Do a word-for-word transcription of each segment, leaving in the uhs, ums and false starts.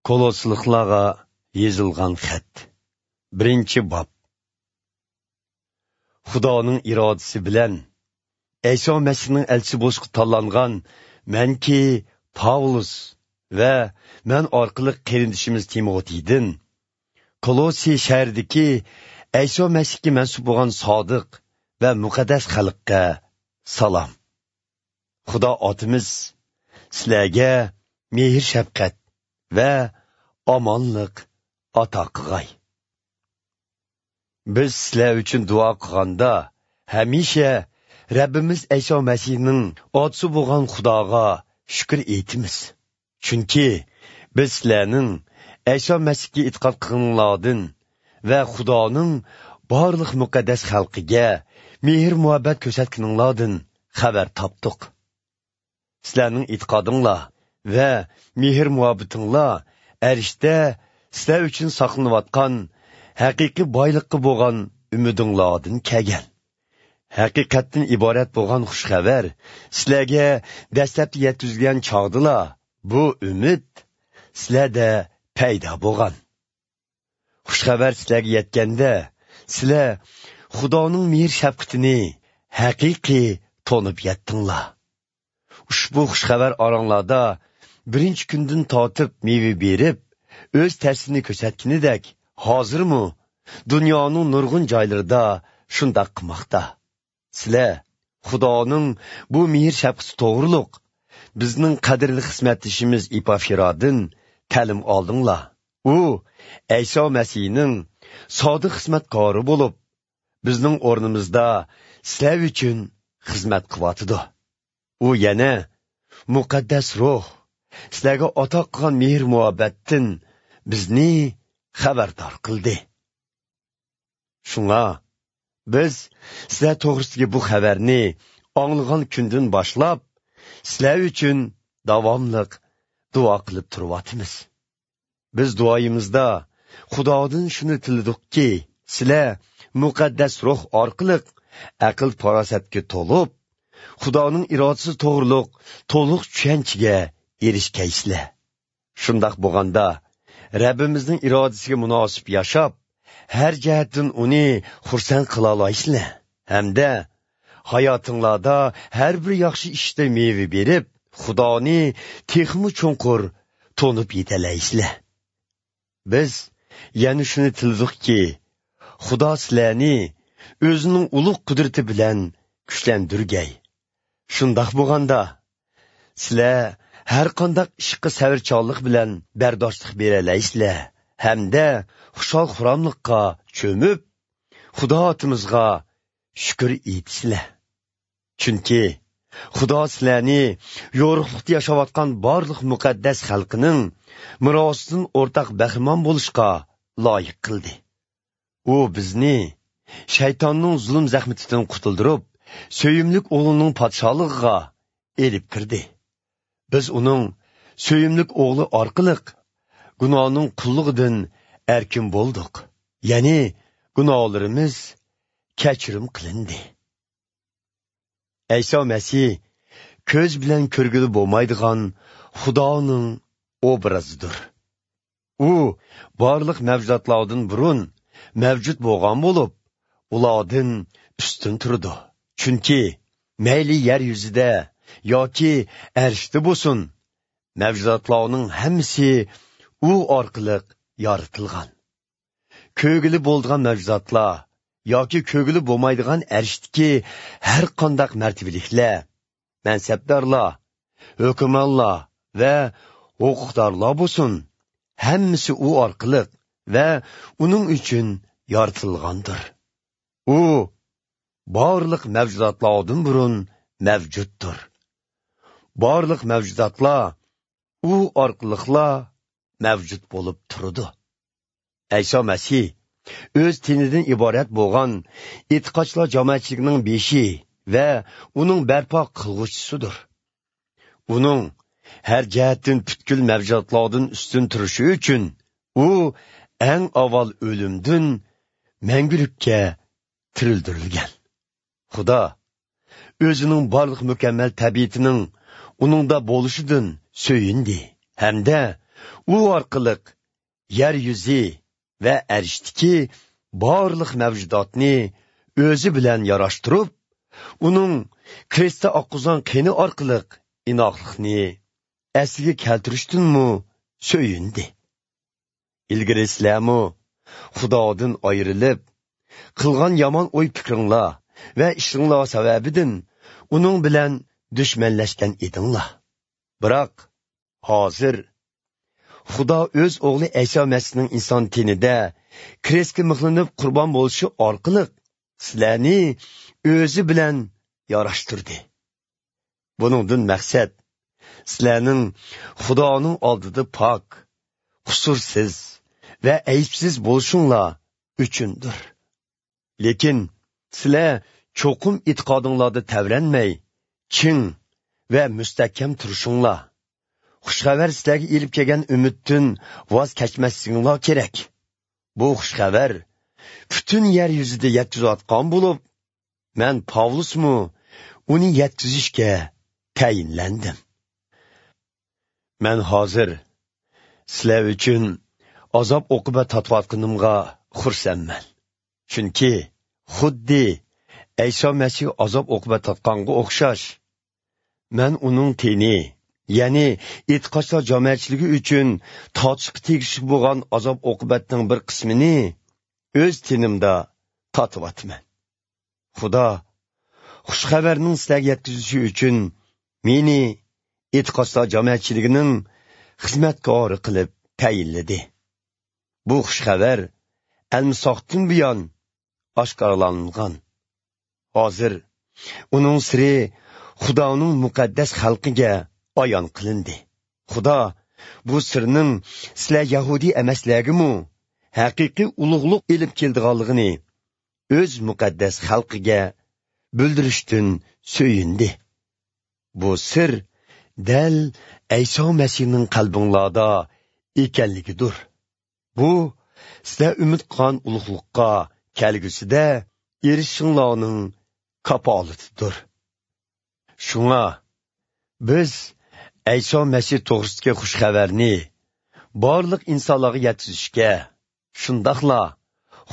كولوسلۇقلارغا يېزىلغان خەت. بىرىنچى باب. خۇدانىڭ ئىرادىسى بىلەن ئەيسا مەسىھنىڭ ئەلچىسى بولۇشقا تاللانغان مەنكى پاۋلۇس ۋە مەن ئارقىلىق قېرىندىشىمىز تىموتېيدىن، كولوسى شەھىرىدىكى ئەيسا مەسىھكە مەنسۇپ بولغان سادىق ۋە مۇقەددەس خەلققە سالام. خۇدا ئاتىمىز سىلەرگە مېھىر-شەپقەت ۋە ئامانلىق ئاتا قىلغاي. بىز سىلەر ئۈچۈن دۇئا قىلغاندا، ھەمىشە رەببىمىز ئەيسا مەسىھنىڭ ئاتىسى بولغان خۇداغا شۈكۈر ئېيتىمىز. چۈنكى بىز سىلەرنىڭ ئەيسا مەسىھكە ئېتىقاد قىلغىنىڭلاردىن ۋە خۇدانىڭ بارلىق مۇقەددەس خەلقىگە مېھىر-مۇھەببەت كۆرسەتكىنىڭلاردىن خەۋەر تاپتۇق. سىلەرنىڭ ئېتىقادىڭلار ۋە مېھىر-مۇھەببىتىڭلار ئەرشتە سىلەر ئۈچۈن ساقلىنىۋاتقان ھەقىقىي بايلىققا بولغان ئۈمىدىڭلاردىن كەلگەن. ھەقىقەتتىن ئىبارەت بولغان خۇش خەۋەر سىلەرگە دەسلەپتە يەتكۈزۈلگەن چاغدىلا، بۇ ئۈمىد سىلەردە پەيدا بولغان. خۇش خەۋەر سىلەرگە يەتكەندە، سىلەر خۇدانىڭ مېھىر-شەپقىتىنى ھەقىقىي تونۇپ يەتتىڭلار. ئۇشبۇ خۇش خەۋەر ئاراڭلاردا بىرىنچى كۈندىن تارتىپ مېۋە بېرىپ، ئۆز تەسىرىنى كۆرسەتكىنىدەك، ھازىرمۇ دۇنيانىڭ نۇرغۇن جايلىرىدا شۇنداق قىلماقتا. سىلەر خۇدانىڭ بۇ مېھىر-شەپقىتى توغرۇلۇق بىزنىڭ قەدىرلىك خىزمەتدىشىمىز ئېپافىرادىن تەلىم ئالدىڭلار. ئۇ ئەيسا مەسىھنىڭ سادىق خىزمەتكارى بولۇپ، بىزنىڭ ئورنىمىزدا سىلەر ئۈچۈن خىزمەت قىلىۋاتىدۇ. ئۇ يەنە مۇقەددەس روھ سىلەرگە ئاتا قىلغان مېھىر-مۇھەببەتتىن بىزنى خەۋەردار قىلدى. شۇڭا بىز سىلەر توغرىسىدىكى بۇ خەۋەرنى ئاڭلىغان كۈندىن باشلاپ، سىلەر ئۈچۈن داۋاملىق دۇئا قىلىپ تۇرۇۋاتىمىز. بىز دۇئايىمىزدا خۇدادىن شۇنى تىلىدۇقكى، سىلەر مۇقەددەس روھ ئارقىلىق ئەقىل-پاراسەتكە تولۇپ، خۇدانىڭ ئىرادىسى توغرۇلۇق تولۇق چۈشەنچىگە ئېرىشكەيسىلەر. شۇنداق بولغاندا، رەببىمىزنىڭ ئىرادىسىگە مۇناسىپ ياشاپ، ھەر جەھەتتىن ئۇنى خۇرسەن قىلالايسىلەر ھەمدە ھاياتىڭلاردا ھەر بىر ياخشى ئىشتا مېۋە بېرىپ، خۇدانى تېخىمۇ چوڭقۇر تونۇپ يېتەلەيسىلەر. بىز يەنە شۇنى تىلىدۇقكى، خۇدا سىلەرنى ئۆزىنىڭ ئۇلۇغ قۇدرىتى بىلەن كۈچلەندۈرگەي. شۇنداق بولغاندا، سىلەر ھەر قانداق ئىشقا سەۋرچانلىق بىلەن بەرداشلىق بېرەلەيسىلەر ھەمدە خۇشال-خۇراملىققا چۆمۈپ، خۇدا ئاتىمىزغا شۈكۈر ئېيتىسىلەر. چۈنكى خۇدا سىلەرنى يورۇقلۇقتا ياشاۋاتقان بارلىق مۇقەددەس خەلقىنىڭ مىراسىدىن ئورتاق بەھرىمەن بولۇشقا لايىق قىلدى. ئۇ بىزنى شەيتاننىڭ زۇلۇم زەخمىتىدىن قۇتۇلدۇرۇپ، سۆيۈملۈك ئوغلىنىڭ پادىشاھلىقىغا ئېلىپ كىردى. بىز ئۇنىڭ سۆيۈملۈك ئوغلى ئارقىلىق گۇناھنىڭ قۇللۇقىدىن ئەركىن بولدۇق. يەنى گۇناھلىرىمىز كەچۈرۈم قىلىندى. ئەيسا مەسىھ كۆز بىلەن كۆرگىلى بولمايدىغان خۇدانىڭ ئوبرازىدۇر. ئۇ بارلىق مەۋجۇداتلاردىن بۇرۇن مەۋجۇت بولغان بولۇپ، ئۇلاردىن ئۈستۈن تۇرىدۇ. چۈنكى مەيلى يەر يۈزىدە ياكى ئەرشتە بولسۇن، مەۋجۇداتلارنىڭ ھەممىسى ئۇ ئارقىلىق يارىتىلغان. كۆرگىلى بولىدىغان مەۋجۇداتلار ياكى كۆرگىلى بولمايدىغان ئەرشتىكى ھەر قانداق مەرتىۋىلىكلەر، مەنسەپدارلار، ھۆكۈمرانلار ۋە ھوقۇقدارلار بولسۇن، ھەممىسى ئۇ ئارقىلىق ۋە ئۇنىڭ ئۈچۈن يارىتىلغاندۇر. ئۇ بارلىق مەۋجۇداتلاردىن بۇرۇن مەۋجۇتتۇر. بارلىق مەۋجۇداتلار ئۇ ئارقىلىقلا مەۋجۇت بولۇپ تۇرىدۇ. ئەيسا مەسىھ ئۆز تېنىدىن ئىبارەت بولغان ئېتىقادچىلار جامائەتچىلىكىنىڭ بېشى ۋە ئۇنىڭ بەرپا قىلغۇچىسىدۇر. ئۇنىڭ ھەر جەھەتتىن پۈتكۈل مەۋجۇداتلاردىن ئۈستۈن تۇرۇشى ئۈچۈن، ئۇ ئەڭ ئاۋۋال ئۆلۈمدىن مەڭگۈلۈككە تىرىلدۈرۈلگەن. خۇدا ئۆزىنىڭ بارلىق مۇكەممەل تەبىئىتىنىڭ ئۇنىڭدا بولۇشىدىن سۆيۈندى ھەمدە ئۇ ئارقىلىق يەر يۈزى ۋە ئەرشتىكى بارلىق مەۋجۇداتنى ئۆزى بىلەن ياراشتۇرۇپ، ئۇنىڭ كرېستتا ئاققۇزغان قېنى ئارقىلىق ئىناقلىقنى ئەسلىگە كەلتۈرۈشتىنمۇ سۆيۈندى. ئىلگىرى سىلەرمۇ خۇدادىن ئايرىلىپ، قىلغان يامان ئوي پىكرىڭلار ۋە ئىشىڭلار سەۋەبىدىن ئۇنىڭ بىلەن دۈشمەنلەشكەن ئىدىڭلار. بىراق، ھازىر خۇدا ئۆز ئوغلى ئەيسا مەسىھنىڭ ئىنسان تېنىدە كرېستكە مىخلىنىپ قۇربان بولۇشى ئارقىلىق سىلەرنى ئۆزى بىلەن ياراشتۇردى. بۇنىڭدىن مەقسەت سىلەرنىڭ خۇدانىڭ ئالدىدا پاك، قۇسۇرسىز ۋە ئەيىبسىز بولۇشۇڭلار ئۈچۈندۇر. لېكىن سىلەر چوقۇم ئېتىقادىڭلاردا تەۋرەنمەي، چىڭ ۋە مۇستەھكەم تۇرۇشۇڭلار. خۇش خەۋەر سىلەرگە ئېلىپ كەلگەن ئۈمىدتىن ۋاز كەچمەسلىكىڭلار كېرەك. بۇ خۇش خەۋەر پۈتۈن يەر يۈزىدە يەتكۈزۈۋاتقان بولۇپ، مەن پاۋلۇسمۇ ئۇنى يەتكۈزۈشكە تەيىنلەندىم. مەن ھازىر سىلەر ئۈچۈن ئازاب-ئوقۇبەت تارتىۋاتقىنىمغا خۇرسەنمەن. چۈنكى خۇددى ئەيسا مەسىھ ئازاب-ئوقۇبەت تارتقانغا ئوخشاش، مەن ئۇنىڭ تېنى، يەنى ئېتىقادچىلار جامائەتچىلىكى ئۈچۈن تارتىشقا تېگىشلىك بولغان ئازاب-ئوقۇبەتنىڭ بىر قىسمىنى ئۆز تېنىمدا تارتىۋاتىمەن. خۇدا خۇش خەۋەرنىڭ سىلەرگە يەتكۈزۈلۈشى ئۈچۈن مېنى ئېتىقادچىلار جامائەتچىلىكىنىڭ خىزمەتكارى قىلىپ تەيىنلىدى. بۇ خۇش خەۋەر ئەلمىساقتىن بۇيان ئاشكارىلانغان. ھازىر ئۇنىڭ سىرى خۇدانىڭ مۇقەددەس خەلقىگە ئايان قىلىندى. خۇدا بۇ سىرنىڭ سىلەر يەھۇدىي ئەمەسلەرگىمۇ ھەقىقىي ئۇلۇغلۇق ئېلىپ كېلىدىغانلىقىنى ئۆز مۇقەددەس خەلقىگە بىلدۈرۈشتىن سۆيۈندى. بۇ سىر دەل ئەيسا مەسىھنىڭ قەلبىڭلاردا ئىكەنلىكىدۇر. بۇ سىلەر ئۈمىد قىلغان ئۇلۇغلۇققا كەلگۈسىدە ئېرىشىشىڭلارنىڭ كاپالىتىدۇر. شۇڭا بىز ئەيسا مەسىھ توغرىسىدىكى خۇش خەۋەرنى بارلىق ئىنسانلارغا يەتكۈزۈشكە، شۇنداقلا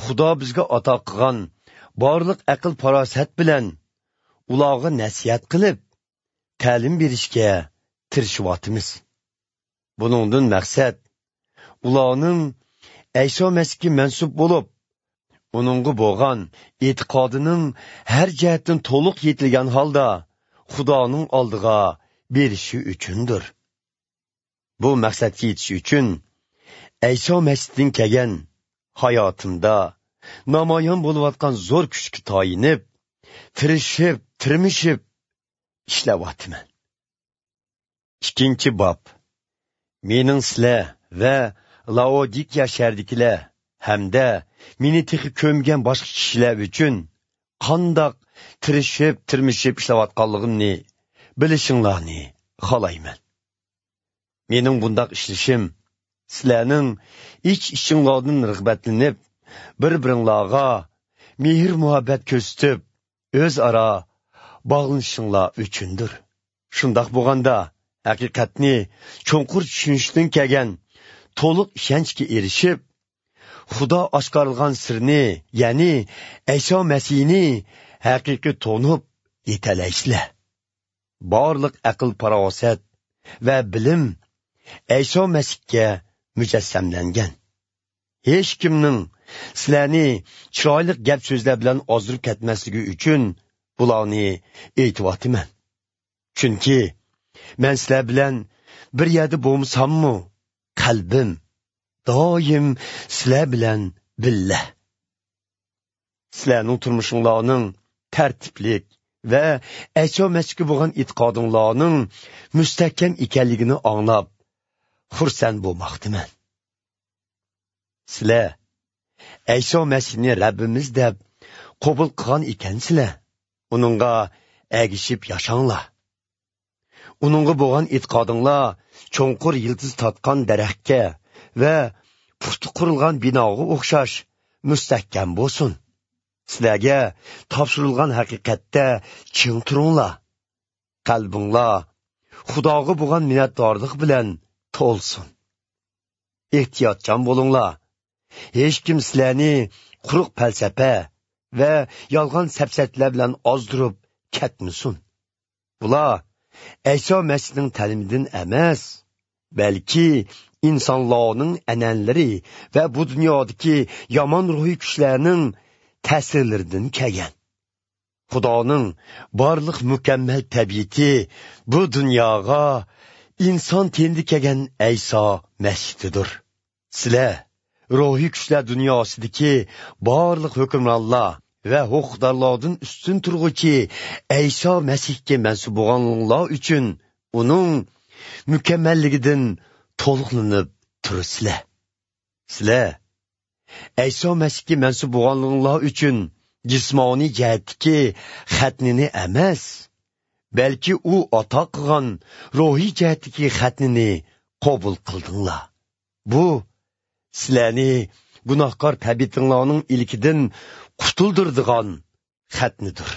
خۇدا بىزگە ئاتا قىلغان بارلىق ئەقىل-پاراسەت بىلەن ئۇلارغا نەسىھەت قىلىپ، تەلىم بېرىشكە تىرىشىۋاتىمىز. بۇنىڭدىن مەقسەت ئۇلارنىڭ ئەيسا مەسىھكە مەنسۇپ بولۇپ، ئۇنىڭغا بولغان ئېتىقادىنىڭ ھەر جەھەتتىن تولۇق يېتىلگەن ھالدا خۇدانىڭ ئالدىغا بېرىشى ئۈچۈندۇر. بۇ مەقسەتكە يېتىش ئۈچۈن ئەيسا مەسىھتىن كەلگەن ھاياتىمدا نامايان بولۇۋاتقان زور كۈچكە تايىنىپ، تىرىشىپ، تىرمىشىپ ئىشلەۋاتىمەن. ئىككىنچى باب. مېنىڭ سىلەر ۋە لائودىكىيە شەھىرىدىكىلەر ھەمدە مېنى تېخى كۆرمىگەن باشقا كىشىلەر ئۈچۈن قانداق تىرىشىپ، تىرمىشىپ ئىشلەۋاتقانلىقىمنى بىلىشىڭلارنى خالايمەن. مېنىڭ بۇنداق ئىشلىشىم سىلەرنىڭ ئىچ-ئىچىڭلاردىن رىغبەتلىنىپ، بىر-بىرىڭلارغا مېھىر-مۇھەببەت كۆرسىتىپ، ئۆزئارا باغلىنىشىڭلار ئۈچۈندۇر. شۇنداق بولغاندا، ھەقىقەتنى چوڭقۇر چۈشىنىشتىن كەلگەن تولۇق ئىشەنچكە ئېرىشىپ، خۇدا ئاشكارىلىغان سىرنى، يەنى ئەيسا مەسىھنى ھەقىقىي تونۇپ يېتەلەيسىلەر. بارلىق ئەقىل-پاراسەت ۋە بىلىم ئەيسا مەسىھكە مۇجەسسەملەنگەن. ھېچكىمنىڭ سىلەرنى چىرايلىق گەپ-سۆزلەر بىلەن ئازدۇرۇپ كەتمەسلىكى ئۈچۈن بۇلارنى ئېيتىۋاتىمەن. چۈنكى مەن سىلەر بىلەن بىر يەردە بولمىساممۇ، قەلبىم دائىم سىلەر بىلەن بىللە. سىلەرنىڭ تۇرمۇشۇڭلارنىڭ تەرتىپلىك ۋە ئەيسا مەسىھكە بولغان ئېتىقادىڭلارنىڭ مۇستەھكەم ئىكەنلىكىنى ئاڭلاپ، خۇرسەن بولماقتىمەن. سىلەر ئەيسا مەسىھنى رەببىمىز دەپ قوبۇل قىلغان ئىكەنسىلەر، ئۇنىڭغا ئەگىشىپ ياشاڭلار. ئۇنىڭغا بولغان ئېتىقادىڭلار چوڭقۇر يىلتىز تارتقان دەرەخكە ۋە پۇختا قۇرۇلغان بىناغا ئوخشاش مۇستەھكەم بولسۇن. سىلەرگە تاپشۇرۇلغان ھەقىقەتتە چىڭ تۇرۇڭلار. قەلبىڭلار خۇداغا بولغان مىننەتدارلىق بىلەن تولسۇن. ئېھتىياتچان بولۇڭلار. ھېچكىم سىلەرنى قۇرۇق پەلسەپە ۋە يالغان سەپسەتىلەر بىلەن ئازدۇرۇپ كەتمىسۇن. بۇلار ئەيسا مەسىھنىڭ تەلىمىدىن ئەمەس، بەلكى ئىنسانلارنىڭ ئەنئەنىلىرى ۋە بۇ دۇنيادىكى يامان روھىي كۈچلەرنىڭ تەسىرلىرىدىن كەلگەن. خۇدانىڭ بارلىق مۇكەممەل تەبىئىتى بۇ دۇنياغا ئىنسان تېنىدە كەلگەن ئەيسا مەسىھتىدۇر. سىلەر روھىي كۈچلەر دۇنياسىدىكى بارلىق ھۆكۈمرانلار ۋە ھوقۇقدارلاردىن ئۈستۈن تۇرغۇچى ئەيسا مەسىھكە مەنسۇپ بولغانلىقىڭلار ئۈچۈن ئۇنىڭ مۇكەممەللىكىدىن تولۇقلىنىپ تۇرىسىلەر. سىلەر ئەيسا مەسىھكە مەنسۇپ بولغانلىقىڭلار ئۈچۈن جىسمانىي جەھەتتىكى خەتنىنى ئەمەس، بەلكى ئۇ ئاتا قىلغان روھىي جەھەتتىكى خەتنىنى قوبۇل قىلدىڭلار. بۇ سىلەرنى گۇناھكار تەبىئىتىڭلارنىڭ ئىلكىدىن قۇتۇلدۇرىدىغان خەتنىدۇر.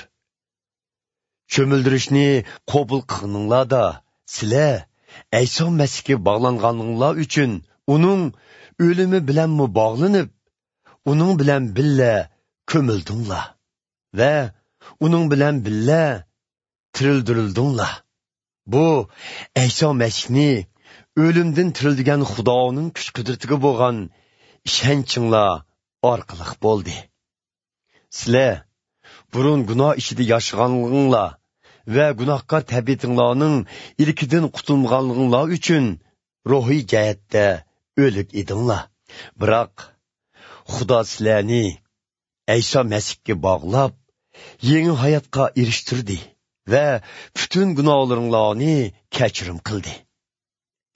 چۆمۈلدۈرۈشنى قوبۇل قىلغىنىڭلاردا، سىلەر ئەيسا مەسىھكە باغلانغانلىقىڭلار ئۈچۈن ئۇنىڭ ئۆلۈمى بىلەنمۇ باغلىنىپ، ئۇنىڭ بىلەن بىللە كۆمۈلدۈڭلار ۋە ئۇنىڭ بىلەن بىللە تىرىلدۈرۈلدۈڭلار. بۇ ئەيسا مەسىھنى ئۆلۈمدىن تىرىلدۈرگەن خۇدانىڭ كۈچ-قۇدرىتىگە بولغان ئىشەنچىڭلار ئارقىلىق بولدى. سىلەر بۇرۇن گۇناھ ئىچىدە ياشىغانلىقىڭلار ۋە گۇناھكار تەبىئىتىڭلارنىڭ ئىلكىدىن قۇتۇلمىغانلىقىڭلار ئۈچۈن روھىي جەھەتتە ئۆلۈك ئىدىڭلار. بىراق خۇدا سىلەرنى ئەيسا مەسىھكە باغلاپ، يېڭى ھاياتقا ئېرىشتۈردى ۋە پۈتۈن گۇناھلىرىڭلارنى كەچۈرۈم قىلدى.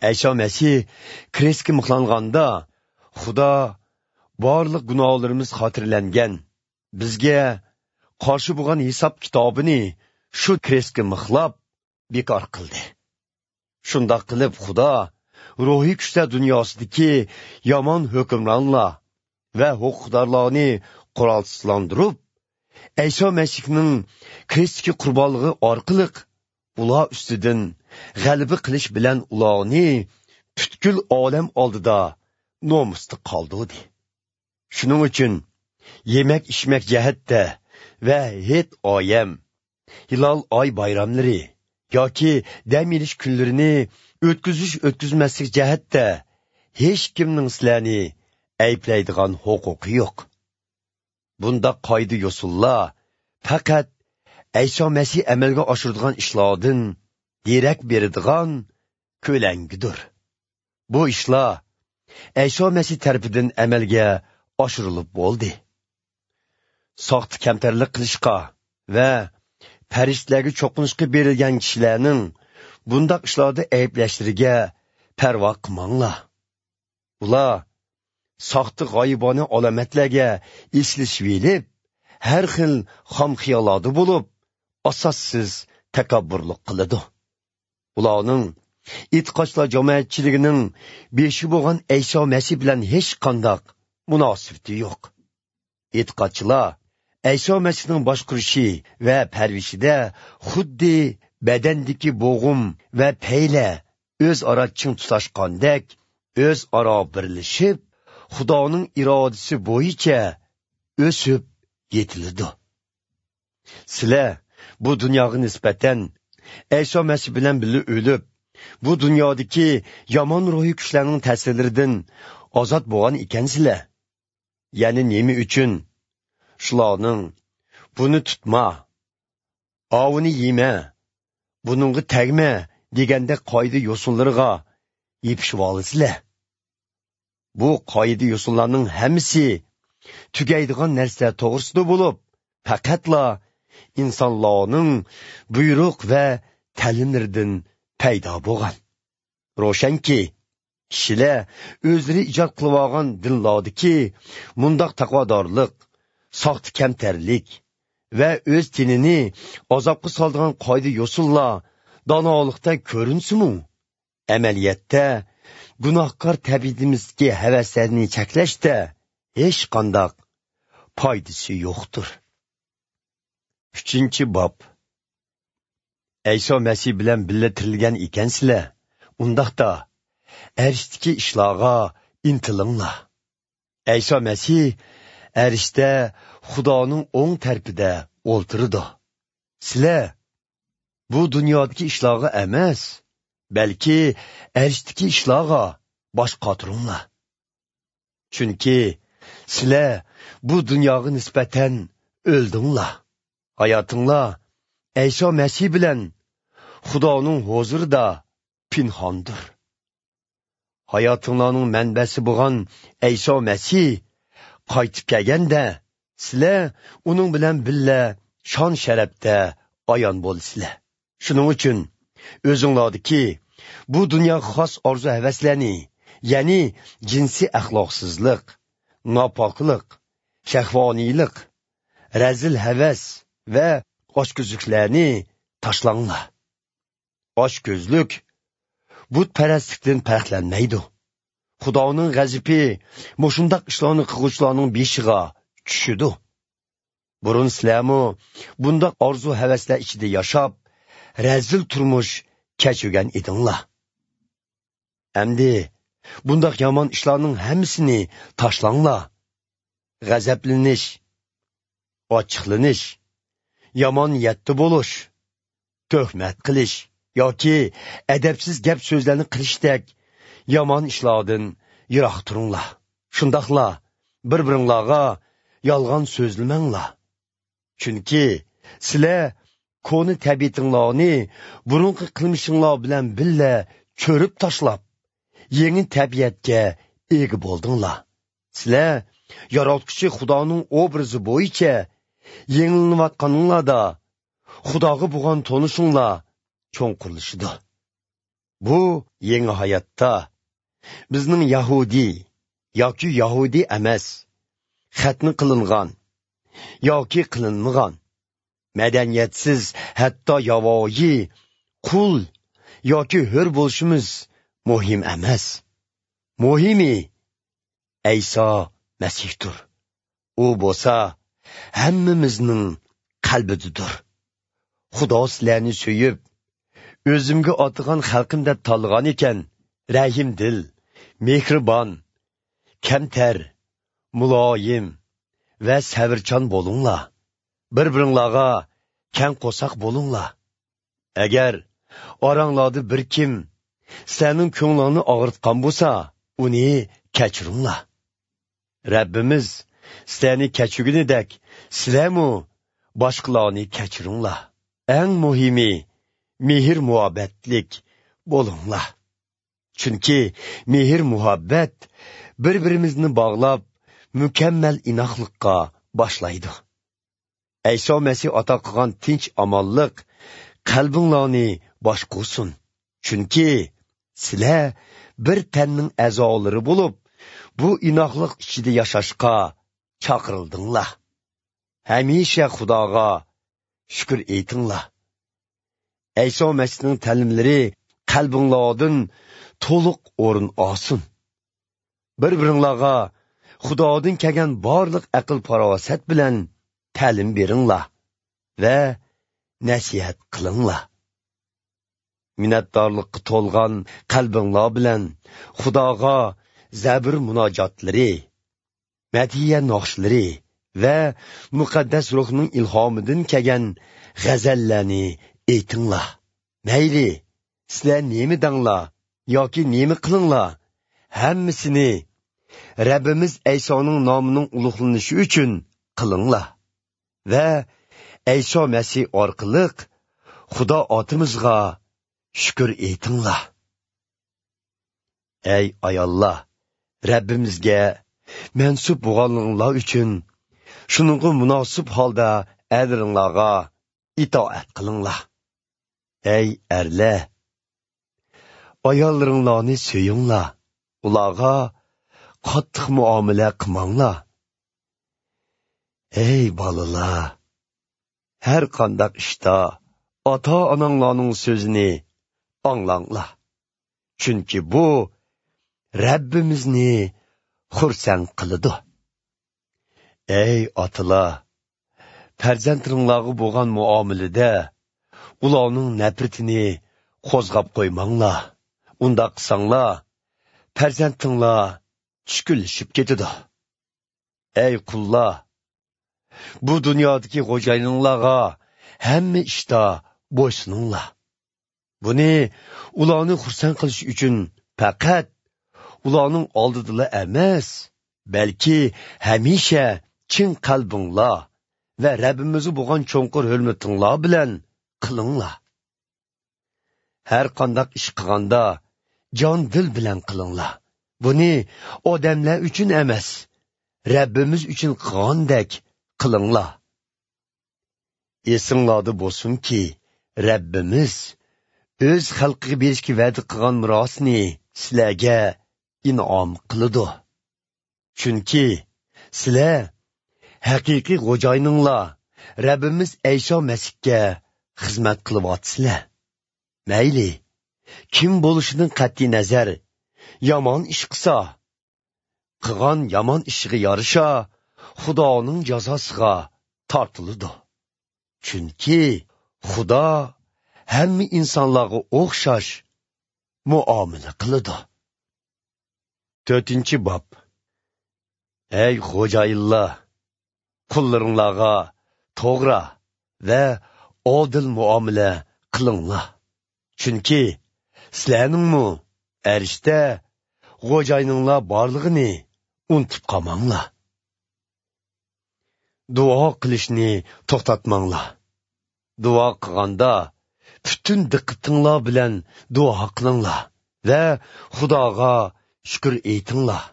ئەيسا مەسىھ كرېستكە مىخلانغاندا، خۇدا بارلىق گۇناھلىرىمىز خاتىرىلەنگەن، بىزگە قارشى بولغان ھېساب كىتابىنى شۇ كرېستكە مىخلاپ بىكار قىلدى. شۇنداق قىلىپ خۇدا روھىي كۈچلەر دۇنياسىدىكى يامان ھۆكۈمرانلار ۋە ھوقۇقدارلارنى قورالسىزلاندۇرۇپ، ئەيسا مەسىھنىڭ كرېستتىكى قۇربانلىقى ئارقىلىق ئۇلار ئۈستىدىن غەلىبە قىلىش بىلەن ئۇلارنى پۈتكۈل ئالەم ئالدىدا نومۇستا قالدۇردى. شۇنىڭ ئۈچۈن يېمەك-ئىچمەك جەھەتتە ۋە ھېيت-ئايەم، ھىلال ئاي بايراملىرى ياكى دەم ئېلىش كۈنلىرىنى ئۆتكۈزۈش-ئۆتكۈزمەسلىك جەھەتتە ھېچكىمنىڭ سىلەرنى ئەيىبلەيدىغان ھوقۇقى يوق. بۇنداق قائىدە-يوسۇنلار پەقەت ئەيسا مەسىھ ئەمەلگە ئاشۇرىدىغان ئىشلاردىن دېرەك بېرىدىغان كۆلەڭگىدۇر. بۇ ئىشلار ئەيسا مەسىھ تەرىپىدىن ئەمەلگە ئاشۇرۇلۇپ بولدى. ساختا كەمتەرلىك قىلىشقا ۋە پەرىشتىلەرگە چوقۇنۇشقا بېرىلگەن كىشىلەرنىڭ بۇنداق ئىشلاردا ئەيىبلەشلىرىگە پەرۋا قىلماڭلار. ئۇلار ساختا غايىبانە ئالامەتلەرگە ئېسىلىشىۋېلىپ، ھەر خىل خام خىياللاردا بولۇپ، ئاساسسىز تەكەببۇرلۇق قىلىدۇ. ئۇلارنىڭ ئېتىقادچىلار جامائەتچىلىكىنىڭ بېشى بولغان ئەيسا مەسىھ بىلەن ھېچقانداق مۇناسىۋىتى يوق. ئېتىقادچىلار ئەيسا مەسىھنىڭ باشقۇرۇشى ۋە پەرۋىشىدە خۇددى بەدەندىكى بوغۇم ۋە پەيلە ئۆزئارا چىڭ تۇتاشقاندەك، ئۆزئارا بىرلىشىپ، خۇدانىڭ ئىرادىسى بويىچە ئۆسۈپ يېتىلىدۇ. سىلەر بۇ دۇنياغا نىسبەتەن ئەيسا مەسىھ بىلەن بىللە ئۆلۈپ، بۇ دۇنيادىكى يامان روھىي كۈچلەرنىڭ تەسىرلىرىدىن ئازاد بولغان ئىكەنسىلەر. يەنە نېمە ئۈچۈن شۇلارنىڭ «بۇنى تۇتما، ئاۋۇنى يېمە، بۇنىڭغا تەگمە» دېگەندەك قائىدە-يوسۇنلىرىغا يېپىشىۋالىسىلەر؟ بۇ قائىدە-يوسۇنلارنىڭ ھەممىسى تۈگەيدىغان نەرسىلەر توغرىسىدا بولۇپ، پەقەتلا ئىنسانلارنىڭ بۇيرۇق ۋە تەلىملىرىدىن پەيدا بولغان. روشەنكى، كىشىلەر ئۆزلىرى ئىجاد قىلىۋالغان دىنلاردىكى مۇنداق تەقۋادارلىق، ساختا كەمتەرلىك ۋە ئۆز تېنىنى ئازابقا سالىدىغان قائىدە-يوسۇنلار دانالىقتەك كۆرۈنسىمۇ، ئەمەلىيەتتە گۇناھكار تەبىئىتىمىزدىكى ھەۋەسلەرنى چەكلەشتە ھېچقانداق پايدىسى يوقتۇر. ئۈچىنچى باب. ئەيسا مەسىھ بىلەن بىللە تىرىلگەن ئىكەنسىلەر، ئۇنداقتا ئەرشتىكى ئىشلارغا ئىنتىلىڭلار. ئەيسا مەسىھ ئەرشتە خۇدانىڭ ئوڭ تەرىپىدە ئولتۇرىدۇ. سىلەر بۇ دۇنيادىكى ئىشلارغا ئەمەس، بەلكى ئەرشتىكى ئىشلارغا باش قاتۇرۇڭلار. چۈنكى سىلەر بۇ دۇنياغا نىسبەتەن ئۆلدۈڭلار. ھاياتىڭلار ئەيسا مەسىھ بىلەن خۇدانىڭ ھۇزۇرىدا پىنھاندۇر. ھاياتىڭلارنىڭ مەنبەسى بولغان ئەيسا مەسىھ قايتىپ كەلگەندە، سىلەر ئۇنىڭ بىلەن بىللە شان-شەرەپتە ئايان بولىسىلەر. شۇنىڭ ئۈچۈن ئۆزۈڭلاردىكى بۇ دۇنياغا خاس ئارزۇ-ھەۋەسلەرنى، يەنى جىنسىي ئەخلاقسىزلىق، ناپاكلىق، شەھۋانىيلىق، رەزىل ھەۋەس ۋە ئاچكۆزلۈكلەرنى تاشلاڭلار. ئاچكۆزلۈك بۇتپەرەسلىكتىن پەرقلەنمەيدۇ. خۇدانىڭ غەزىپى مۇشۇنداق ئىشلارنى قىلغۇچىلارنىڭ بېشىغا چۈشىدۇ. بۇرۇن سىلەرمۇ بۇنداق ئارزۇ-ھەۋەسلەر ئىچىدە ياشاپ، رەزىل تۇرمۇش كەچۈرگەن ئىدىڭلار. ئەمدى بۇنداق يامان ئىشلارنىڭ ھەممىسىنى تاشلاڭلار. غەزەپلىنىش، ئاچچىقلىنىش، يامان نىيەتتە بولۇش، تۆھمەت قىلىش ياكى ئەدەپسىز گەپ-سۆزلەرنى قىلىشتەك يامان ئىشلاردىن يىراق تۇرۇڭلار. شۇنداقلا بىر-بىرىڭلارغا يالغان سۆزلىمەڭلار. چۈنكى سىلەر كونا تەبىئىتىڭلارنى بۇرۇنقى قىلمىشىڭلار بىلەن بىللە چۆرۈپ تاشلاپ، يېڭى تەبىئەتكە ئىگە بولدۇڭلار. سىلەر ياراتقۇچى خۇدانىڭ ئوبرازى بويىچە يېڭىلىنىۋاتقانىڭلاردا، خۇداغا بولغان تونۇشۇڭلار چوڭقۇرلىشىدۇ. بۇ يېڭى ھاياتتا بىزنىڭ يەھۇدىي ياكى يەھۇدىي ئەمەس، خەتنە قىلىنغان ياكى قىلىنمىغان، مەدەنىيەتسىز، ھەتتا ياۋايى، قۇل ياكى ھۆر بولۇشىمىز مۇھىم ئەمەس. مۇھىمى ئەيسا مەسىھتۇر. ئۇ بولسا ھەممىمىزنىڭ قەلبىدىدۇر. خۇدا سىلەرنى سۆيۈپ، ئۆزۈمگە ئاتىغان خەلقىم دەپ تاللىغان ئىكەن، رەھىمدىل، مېھرىبان، كەمتەر، مۇلايىم ۋە سەۋرچان بولۇڭلار. بىر-بىرىڭلارغا كەڭ قورساق بولۇڭلار. ئەگەر ئاراڭلاردا بىر كىم سىلەرنىڭ كۆڭلۈڭنى ئاغرىتقان بولسا، ئۇنى كەچۈرۈڭلار. رەببىمىز سىلەرنى كەچۈرگىنىدەك، سىلەرمۇ باشقىلارنى كەچۈرۈڭلار. ئەڭ مۇھىمى، مېھىر-مۇھەببەتلىك بولۇڭلار. چۈنكى مېھىر-مۇھەببەت بىر-بىرىمىزنى باغلاپ، مۇكەممەل ئىناقلىققا باشلايدۇ. ئەيسا مەسىھ ئاتا قىلغان تىنچ-ئامانلىق قەلبىڭلارنى باشقۇرسۇن. چۈنكى سىلەر بىر تەننىڭ ئەزالىرى بولۇپ، بۇ ئىناقلىق ئىچىدە ياشاشقا چاقىرىلدىڭلار. ھەمىشە خۇداغا شۈكۈر ئېيتىڭلار. ئەيسا مەسىھنىڭ تەلىملىرى قەلبىڭلاردىن تولۇق ئورۇن ئالسۇن. بىر-بىرىڭلارغا خۇدادىن كەلگەن بارلىق ئەقىل-پاراسەت بىلەن تەلىم بېرىڭلار ۋە نەسىھەت قىلىڭلار. مىننەتدارلىققا تولغان قەلبىڭلار بىلەن خۇداغا زەبۇر مۇناجاتلىرى، مەدھىيە ناخشىلىرى ۋە مۇقەددەس روھنىڭ ئىلھامىدىن كەلگەن غەزەللەرنى ئېيتىڭلار. مەيلى، سىلەر نېمە دەڭلار ياكى نېمە قىلىڭلار، ھەممىسىنى رەببىمىز ئەيسانىڭ نامىنىڭ ئۇلۇغلىنىشى ئۈچۈن قىلىڭلار ۋە ئەيسا مەسىھ ئارقىلىق خۇدا ئاتىمىزغا شۈكۈر ئېيتىڭلار. ئەي ئاياللار، رەببىمىزگە مەنسۇپ بولغانلىقىڭلار ئۈچۈن، شۇنىڭغا مۇناسىپ ھالدا ئەرلىرىڭلارغا ئىتائەت قىلىڭلار. ئەي ئەرلەر، ئاياللىرىڭلارنى سۆيۈڭلار، ئۇلارغا قاتتىق مۇئامىلە قىلماڭلار. ئەي بالىلار، ھەر قانداق ئىشتا ئاتا-ئاناڭلارنىڭ سۆزىنى ئاڭلاڭلار. چۈنكى بۇ رەببىمىزنى خۇرسەن قىلىدۇ. ئەي ئاتىلار، پەرزەنتلىرىڭلارغا بولغان مۇئامىلىدە ئۇلارنىڭ نەپرىتىنى قوزغاپ قويماڭلار. ئۇنداق قىلساڭلار، پەرزەنتىڭلار چۈشكۈنلىشىپ كېتىدۇ. ئەي قۇللار، بۇ دۇنيادىكى خوجايىنىڭلارغا ھەممە ئىشتا بويسۇنۇڭلار. بۇنى ئۇلارنى خۇرسەن قىلىش ئۈچۈن پەقەت ئۇلارنىڭ ئالدىدىلا ئەمەس، بەلكى ھەمىشە چىن قەلبىڭلار ۋە رەببىمىزگە بولغان چوڭقۇر ھۆرمىتىڭلار بىلەن قىلىڭلار. ھەر قانداق ئىش قىلغاندا جان دىل بىلەن قىلىڭلار. بۇنى ئادەملەر ئۈچۈن ئەمەس، رەببىمىز ئۈچۈن قىلغاندەك قىلىڭلار. ئېسىڭلاردا بولسۇنكى، رەببىمىز ئۆز خەلقىگە بېرىشكە ۋەدە قىلغان مىراسنى سىلەرگە ئىنئام قىلىدۇ. چۈنكى سىلەر ھەقىقىي خوجايىنىڭلار، رەببىمىز ئەيسا مەسىھكە خىزمەت قىلىۋاتىسىلەر. مەيلى، كىم بولۇشىدىن قەتئىينەزەر، يامان ئىش قىلسا، قىلغان يامان ئىشىغا يارىشا خۇدانىڭ جازاسىغا تارتىلىدۇ. چۈنكى خۇدا ھەممە ئىنسانلارغا ئوخشاش مۇئامىلە قىلىدۇ. تۆتىنچى باب. ئەي خوجايىنلار، قۇللىرىڭلارغا توغرا ۋە ئادىل مۇئامىلە قىلىڭلار. چۈنكى سىلەرنىڭمۇ ئەرشتە خوجايىنىڭلار بارلىقىنى ئۇنتۇپ قالماڭلار. دۇئا قىلىشنى توختاتماڭلار. دۇئا قىلغاندا پۈتۈن دىققىتىڭلار بىلەن دۇئا قىلىڭلار ۋە خۇداغا شۈكۈر ئېيتىڭلار.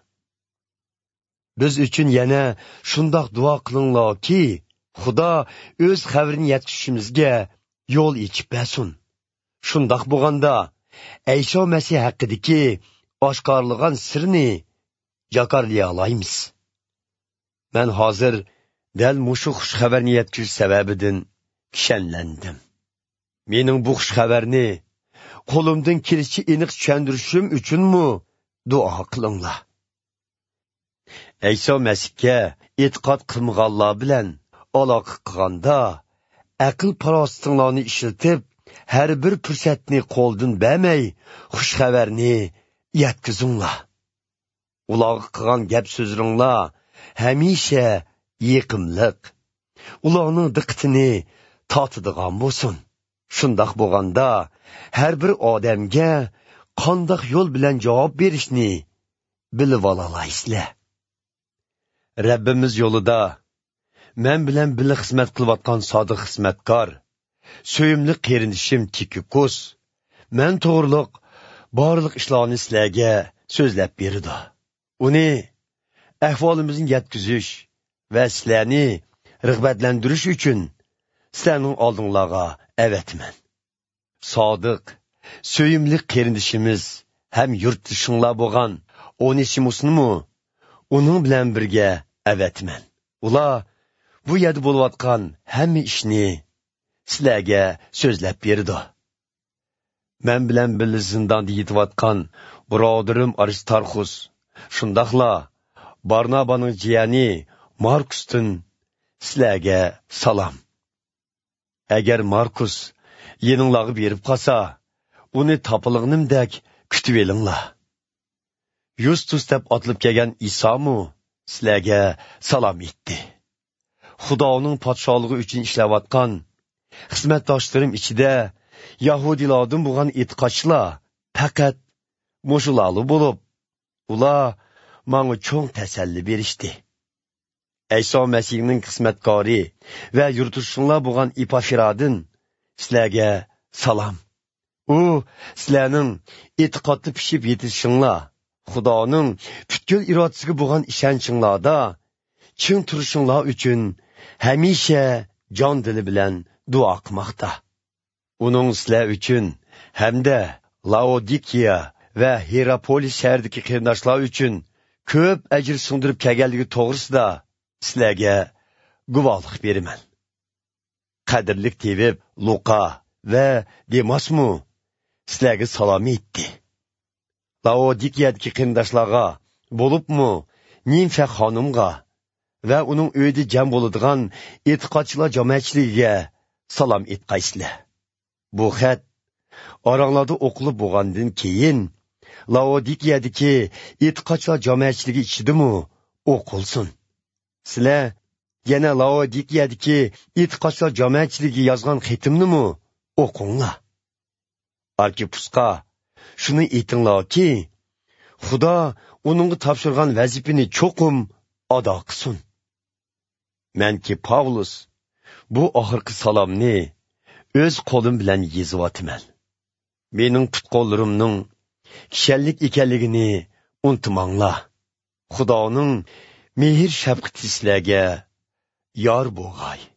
بىز ئۈچۈن يەنە شۇنداق دۇئا قىلىڭلاركى، خۇدا ئۆز خەۋىرىنى يەتكۈزۈشىمىزگە يول ئېچىپ بەرسۇن. شۇنداق بولغاندا، ئەيسا مەسىھ ھەققىدىكى ئاشكارىلىغان سىرنى جاكارلىيالايمىز. مەن ھازىر دەل مۇشۇ خۇش خەۋەرنى يەتكۈزۈش سەۋەبىدىن كىشەنلەندىم. مېنىڭ بۇ خۇش خەۋەرنى قولۇمدىن كېلىشىچە ئېنىق چۈشەندۈرۈشۈم ئۈچۈنمۇ دۇئا قىلىڭلار. ئەيسا مەسىھكە ئېتىقاد قىلمىغانلار بىلەن ئالاقە قىلغاندا، ئەقىل-پاراسىتىڭلارنى ئىشلىتىپ، ھەر بىر پۇرسەتنى قولدىن بەرمەي، خۇش خەۋەرنى يەتكۈزۈڭلار. ئۇلارغا قىلغان گەپ-سۆزلىرىڭلار ھەمىشە يېقىملىق، ئۇلارنىڭ دىققىتىنى تارتىدىغان بولسۇن. شۇنداق بولغاندا، ھەر بىر ئادەمگە قانداق يول بىلەن جاۋاب بېرىشنى بىلىۋالالايسىلەر. رەببىمىز يولىدا مەن بىلەن بىللە خىزمەت قىلىۋاتقان سادىق خىزمەتكار، سۆيۈملۈك قېرىندىشىم تىكىكوس مەن توغرۇلۇق بارلىق ئىشلارنى سىلەرگە سۆزلەپ بېرىدۇ. ئۇنى ئەھۋالىمىزنى يەتكۈزۈش ۋە سىلەرنى رىغبەتلەندۈرۈش ئۈچۈن سىلەرنىڭ ئالدىڭلارغا ئەۋەتىمەن. سادىق، سۆيۈملۈك قېرىندىشىمىز ھەم يۇرتدىشىڭلار بولغان ئونېسىمۇسنىمۇ ئۇنىڭ بىلەن بىرگە ئەۋەتىمەن. ئۇلار بۇ يەردە بولۇۋاتقان ھەممە ئىشنى سىلەرگە سۆزلەپ بېرىدۇ. مەن بىلەن بىللە زىنداندا يېتىۋاتقان بۇرادىرىم ئارىستارخۇس، شۇنداقلا بارنابانىڭ جىيەنى ماركۇستىن سىلەرگە سالام. ئەگەر ماركۇس يېنىڭلارغا بېرىپ قالسا، ئۇنى تاپىلىغىنىمدەك كۈتۈۋېلىڭلار. يۇستۇس دەپ ئاتىلىپ كەلگەن ئىسامۇ سىلەرگە سالام ئېيتتى. خۇدانىڭ پادىشاھلىقى ئۈچۈن ئىشلەۋاتقان خىزمەتداشلىرىم ئىچىدە يەھۇدىيلاردىن بولغان ئېتىقادچىلار پەقەت مۇشۇلارلا بولۇپ، ئۇلار ماڭا چوڭ تەسەللى بېرىشتى. ئەيسا مەسىھنىڭ خىزمەتكارى ۋە يۇرتدىشىڭلار بولغان ئېپافرادىن سىلەرگە سالام. ئۇ سىلەرنىڭ ئېتىقادتا پىشىپ يېتىلىشىڭلار، خۇدانىڭ پۈتكۈل ئىرادىسىگە بولغان ئىشەنچىڭلاردا چىڭ تۇرۇشۇڭلار ئۈچۈن ھەمىشە جان دىلى بىلەن دۇئا قىلماقتا. ئۇنىڭ سىلەر ئۈچۈن ھەمدە لاودىكىيە ۋە ھىراپولىس شەھىرىدىكى قېرىنداشلار ئۈچۈن كۆپ ئەجىر سىڭدۈرۈپ كەلگەنلىكى توغرىسىدا سىلەرگە گۇۋاھلىق بېرىمەن. قەدىرلىك تېۋىپ لۇقا ۋە دېماسمۇ سىلەرگە سالام ئېيتتى. لاودىكىيەدىكى قېرىنداشلارغا، بولۇپمۇ نىمفە خانىمغا ۋە ئۇنىڭ ئۆيىدە جەم بولىدىغان ئېتىقادچىلار جامائەتچىلىكىگە سالام ئېيتقايسىلەر. بۇ خەت ئاراڭلاردا ئوقۇلۇپ بولغاندىن كېيىن، لاودىكىيەدىكى ئېتىقادچىلار جامائەتچىلىكى ئىچىدىمۇ ئوقۇلسۇن. سىلەر يەنە لاودىكىيەدىكى ئېتىقادچىلار جامائەتچىلىكىگە يازغان خېتىمنىمۇ ئوقۇڭلار. ئاركىپپۇسقا شۇنى ئېيتىڭلاركى، خۇدا ئۇنىڭغا تاپشۇرغان ۋەزىپىنى چوقۇم ئادا قىلسۇن. مەنكى پاۋلۇس بۇ ئاخىرقى سالامنى ئۆز قولۇم بىلەن يېزىۋاتىمەن. مېنىڭ پۇت-قوللىرىمنىڭ كىشەنلىك ئىكەنلىكىنى ئۇنتۇماڭلار. خۇدانىڭ مېھىر-شەپقىتى سىلەرگە يار بولغاي.